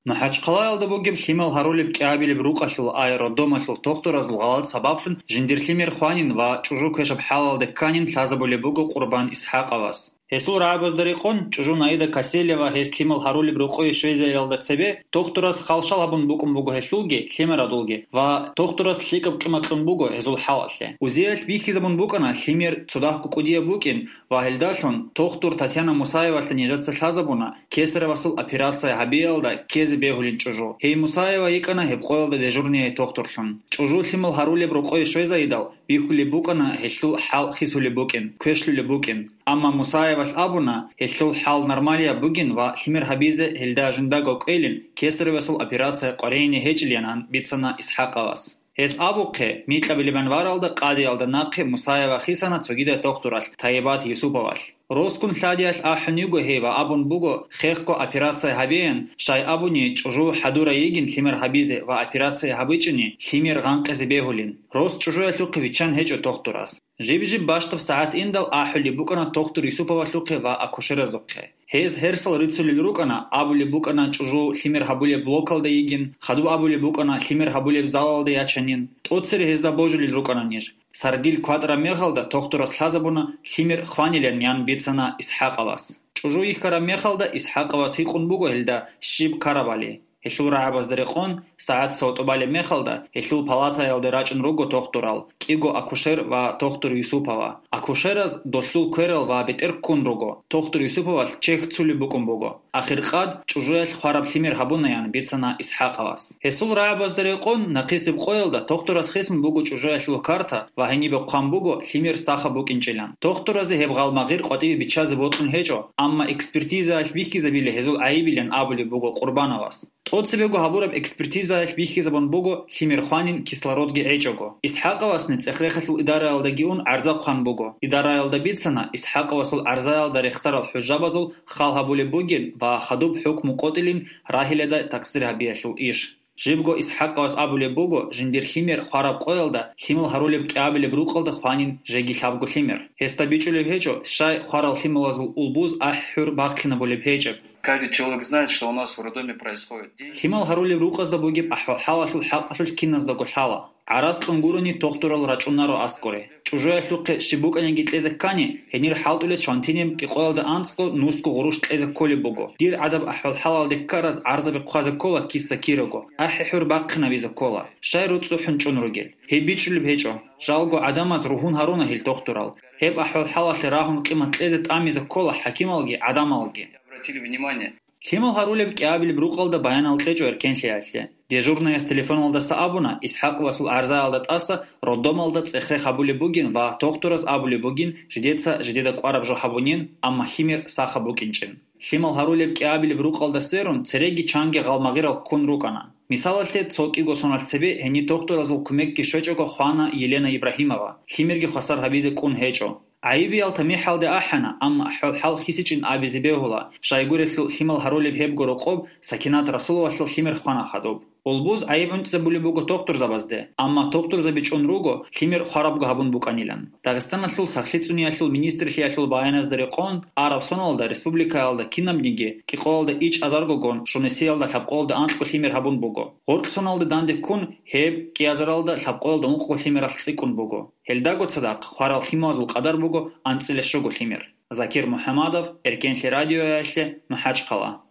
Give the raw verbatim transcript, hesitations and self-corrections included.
МахӀачхъалаялда бугеб лъимал гьарулеб кӀиабилеб рукъалъул ай роддомалъул тохтуразул гъалатӀ сабаблъун жиндир лъимер хванин ва чӀужу квешаб хӀалалде кканин лъазабулеб буго Къурбан ИсхӀакъовас. Гьесул рагӀабазда рекъон, чӀужу Наида Касселева гьес лъимал гьарулеб рокъове щвезариялда цебе тохтурас халшал гьабун букӀун буго гьелъулги, лъимерадулги, ва тохтурас лъикӀаб къимат кьун буго гьезул хӀалалъе. УЗИялъ бихьизабун букӀана лъимер цо дагьго кӀудияб букӀин, ва гьелдалъун тохтур Татьяна Мусаевалъе нижеца лъазабуна кесаревасул операция гьабиялда ккезе бегьулин чӀужу. Гьей Мусаева йикӀана гьеб къоялда дежурный тохтурлъун. ЧӀужу лъимал гьарулеб рокъове щвезайидал, бихьулеб букӀана гьелъул хӀал хисулеб букӀин, квешлъулеб букӀин. Амма Мусаевалъ абуна, гьелъул хӀал нормалияб бугин ва лъимер гьабизе гьелда жиндаго кӀвелин, кесаревасул операция къваригӀине гьечӀилин, ан бицана ИсхӀакъовас. Гьес абухъе, микьабилебан варалда къадиялда нахъе Мусаева хисана цогидай тохтуралъ Тайибат Юсуповалъ. Росгун лъадиялъ ахӀун йиго гьей ва абун буго, хехго операция гьабеян, щай абуни чӀужу хӀадурай йигин лъимер гьабизе ва операция гьабичӀони лъимер гъанкъизе бегьулин. Рос чӀужуялъухъе виччан гьечӀо тохтурас. Жиб-жиб бащдаб сагӀат индал ахӀулеб букӀана тохтур Юсуповалъухъе ва акушеразухъе. Гьез гьерсал рицулел рукӀана, абулеб букӀана чӀужу лъимер гьабулеб блокалда йигин, хадуб абулеб букӀана лъимер гьабулеб залалда ячанин. ТӀоцере гьезда божулел рукӀана ниж. Сардил кватӀараб мехалда тохтурас лъазабуна лъимер хванилан, ян бицана ИсхӀакъовас. ЧӀужу йихьараб мехалда ИсхӀакъовас гьикъун буго гьелда щиб ккарабали. Гьелъул рагӀабазда рекъон, сагӀат цо тӀубалеб мехалда гьелъул палатаялде рачӀун руго тохтурал, кӀиго акушер ва тохтур Юсупова. Акушераз долъул кверал ва бетӀер ккун руго, тохтур Юсуповалъ чехь цулеб букӀун буго. Ахиркъад чӀужуялъ хвараб лъимер гьабунаян бицана ИсхӀакъовас. Гьесул рагӀабазда рекъон, нахъисеб къоялда тохтурас хисун буго чӀужуялъул карта ва гьенибе хъван буго лъимер сахаб букӀинчӀилан. Тохтуразе гьеб гъалмагъир къватӀибе биччазе бокьун гьечӀо, амма экспертизаялъ бихьизабила гьезул гӀайибилан абулеб буго Къурбановас. ТӀоцебего гьабураб экспертизаялъ бихьизабун буго лъимер хванин кислородги гӀечӀого. ИсхӀакъовасни цӀех-рехалъул идараялдаги ун гӀарза хъван буго. Идараялда бицана, ИсхӀакъовасул гӀарзаялда рехсарал хӀужабазул хал гьабулеб бугин ва хадуб хӀукму къотӀилин рагьиладай такъсир гьабиялъул иш. Живго ИсхӀакъовас абулеб буго, жиндир лъимер хвараб къоялда лъимал гьарулеб кӀиабилеб рукъалда хванин жеги лъабго лъимер. Гьесда бичӀчӀулеб гьечӀо, щай хварал лъималазул улбуз ахӀи-хӀур бахъинабулеб гьечӀеб. Каждый человек знает, что у нас в роддоме происходит день. Лъимал гьарулеб рукъазда бугеб ахӀвал-хӀалалъул хӀакъалъулъ киназдаго лъала. ГӀарац кьун гурони тохтурал рачӀунаро аскӀоре. ЧӀужуялъухъе щиб букӀаниги кьезе ккани, гьенир хӀалтӀулес шантиниб кӀикъоялда анцӀго нусго гъурущ кьезе кколеб буго. Дир гӀадаб ахӀвал-хӀалалде ккараз гӀарзаби хъвазе ккола киса-кираго, ахӀи-хӀур бахъинабизе ккола, щай руцӀцӀухӀун чӀун ругел. Гьеб бичӀчӀулеб гьечӀо. Жалго гӀадамаз ругьун гьаруна гьел тохтурал. Гьеб ахӀвал-хӀалалъе рагьун къимат кьезе тӀамизе ккола хӀакималги гӀадамалги. Обратили внимание. Лъимал гьарулеб кӀиабилеб рукъалда баянал кьечӀо эркенлъиялъе. Дежурнаяс телефоналдаса абуна, ИсхӀакъовасул гӀарзаялда тӀаса роддомалда цӀех-рех гьабулеб бугин ва тохтураз абулеб бугин, жидеца жидеда кӀвараб жо гьабунин, амма лъимер сахаб букӀинчӀин. Лъимал гьарулеб кӀиабилеб рукъалда сверун, цереги чанги гъалмагъирал ккун рукӀана. Мисалалъе, цо кӀиго соналъ цебе гьениб тохтуразул кумекги щвечӀого хвана Елена Ибрагьимова, лъимерги хвасар гьабизе кӀун гьечӀо. ГӀайибиял тамихӀалде ахӀана, амма ахӀвал-хӀал хисичӀин абизе бегьула, щайгурелъул лъимал гьарулеб гьебго рокъоб Сакинат Расуловалъул лъимер хвана хадуб. Улбуз гӀайиб гӀунтӀизабулеб буго тохтурзабазде, амма тохтурзаби чӀун руго, лъимер хварабго гьабун букӀанилан. Дагъистаналъул сахлъи цӀуниялъул министрлъиялъул баяназда рекъон, араб соналда республикаялда кинабниги кӀикъоялда ичӀазаргогун, щунесиялда лъабкъоялда анкьго лъимер гьабун буго. Гъоркь соналда данде ккун, гьеб кӀиазаралда лъабкъоялда ункъго лъимералъ цӀикӀкӀун буго. Гьелдаго цадахъ хварал лъималазул къадар буго анцӀила щуго лъимер. Закир МухӀамадов, Эркенлъи радиоялъе, МахӀачхъала.